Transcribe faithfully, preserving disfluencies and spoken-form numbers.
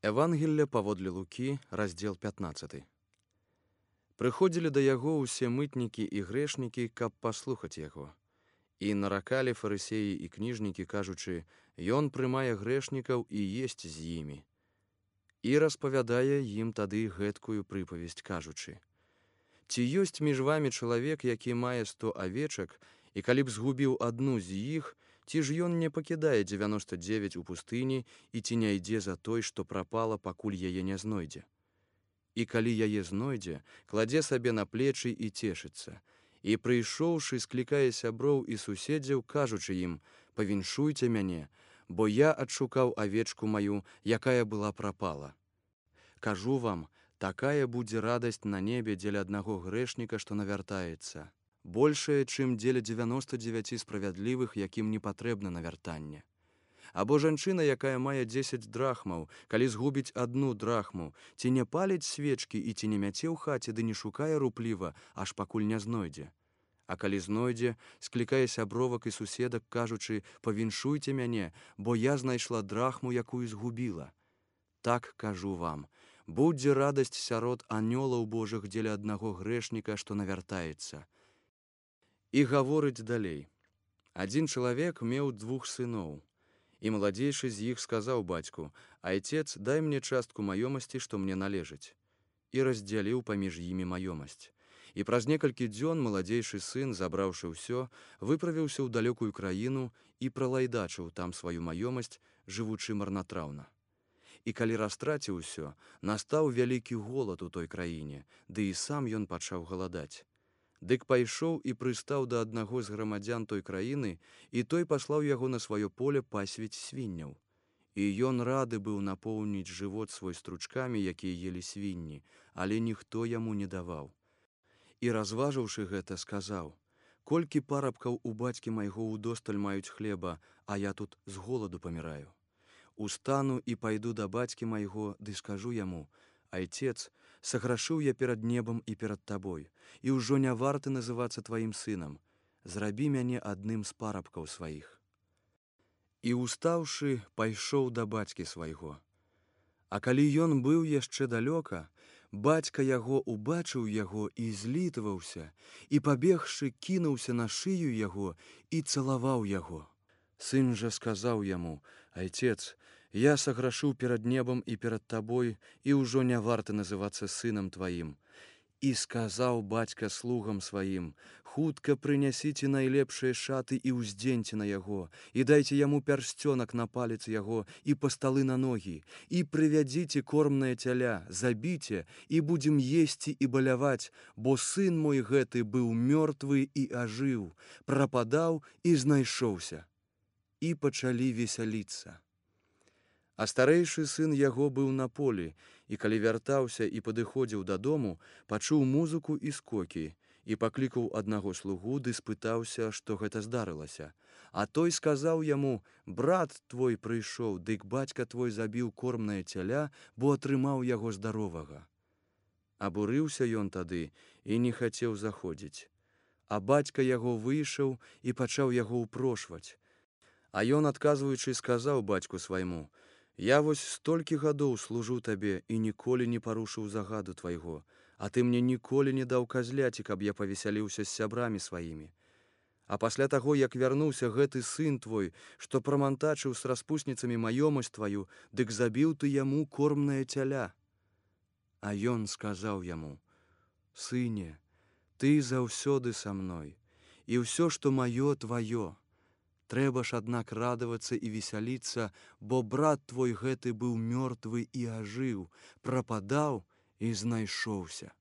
Евангелля паводле Лукі, раздзел пятнаццаты. Прыходзілі да яго ўсе мытнікі і грэшнікі, каб паслухаць яго. І наракалі фарысеі і кніжнікі, кажучы: «Ён прымае грэшнікаў і есць з імі». І распавядае ім тады гэткую прыпавесць, кажучы: «Ці ёсць між вамі чалавек, які мае сто авечак, і калі б згубіў адну з іх, ці ж ён не пакідае дзевяноста дзевяць у пустыні і ці не ідзе за той, што прапала, пакуль яе не знойдзе? І калі яе знойдзе, кладзе сабе на плечы і цешыцца. І прыйшоўшы, склікае сяброў і суседзяў, кажучы ім: «Павіншуйце мяне, бо я адшукаў авечку маю, якая была прапала». Кажу вам, такая будзе радасць на небе дзеля аднаго грэшніка, што навяртаецца, большая, чым дзеля дзевяноста дзевяці справядлівых, якім не патрэбна навяртанне. Або жанчына, якая мае дзесяць драхмаў, калі згубіць адну драхму, ці не паліць свечкі і ці не мяце ў хаце, ды не шукае рупліва, аж пакуль не знойдзе. А калі знойдзе, склікае сябровак і суседак, кажучы: «Павіншуйце мяне, бо я знайшла драхму, якую згубіла». Так кажу вам, будзе радасць сярод анёлаў Божых дзеля аднаго грэшніка, што навяртаецца. І гаворыць далей. Адзін чалавек меў двух сыноў. І маладзейшы з іх сказаў бацьку: «Айцец, дай мне частку маёмасці, што мне належыць». І раздзяліў паміж імі маёмасць. І праз некалькі дзён маладзейшы сын, забраўшы ўсё, выправіўся ў далёкую краіну і пралайдачыў там сваю маёмасць, жывучы марнатраўна. І калі растраціў усё, настаў вялікі голад у той краіне, ды і сам ён пачаў галадаць. Дык пайшоў і прыстаў да аднаго з грамадзян той краіны, і той паслаў яго на сваё поле пасвіць свінняў. І ён рады быў напоўніць жывот свой стручкамі, якія елі свінні, але ніхто яму не даваў. І разважыўшы гэта, сказаў: «Колькі парабкаў у бацькі майго ўдосталь маюць хлеба, а я тут з голаду паміраю. Устану і пайду да бацькі майго, ды скажу яму: Айцец, саграшыў я перад небам і перад табой, і ўжо не варты называцца тваім сынам. Зрабі мяне адным з парабкаў сваіх». І устаўшы, пайшоў да бацькі свайго. А калі ён быў яшчэ далёка, бацька яго убачыў яго і злітаваўся, і, пабегшы, кінуўся на шыю яго і цалаваў яго. Сын жа сказаў яму: «Айцец, я саграшыў перад небам і перад табой, і ўжо не варты называцца сынам тваім». І сказаў бацька слугам сваім: «Хутка прынясіце найлепшыя шаты і ўздзеньце на яго, і дайце яму пярсцёнак на палец яго і пасталы на ногі, і прывядзіце кормнае цяля, забіце, і будзем есці і баляваць, бо сын мой гэты быў мёртвы і ажыў, прападаў і знайшоўся». І пачалі весяліцца. А старэйшы сын яго быў на полі, і калі вяртаўся і падыходзіў дадому, пачуў музыку і скокі, і паклікаў аднаго слугу, ды спытаўся, што гэта здарылася. А той сказаў яму: «Брат твой прыйшоў, дык бацька твой забіў кормнае цяля, бо атрымаў яго здаровага». Абурыўся ён тады і не хацеў заходзіць. А бацька яго выйшаў і пачаў яго ўпрошваць. А ён, адказваючы, сказаў бацьку свайму: «Я вось столькі гадоў служу табе і ніколі не парушыў загаду твайго, а ты мне ніколі не даў казляці, каб я павесяліўся з сябрамі сваімі. А пасля таго, як вярнуўся гэты сын твой, што прамантачыў з распусніцамі маёмасць тваю, дык забіў ты яму кормнае цяля». А ён сказаў яму: «Сыне, ты заўсёды са мной, і ўсё, што маё, тваё. Трэба ж, аднак, радавацца і весяліцца, бо брат твой гэты быў мёртвы і ажыў, прападаў і знайшоўся».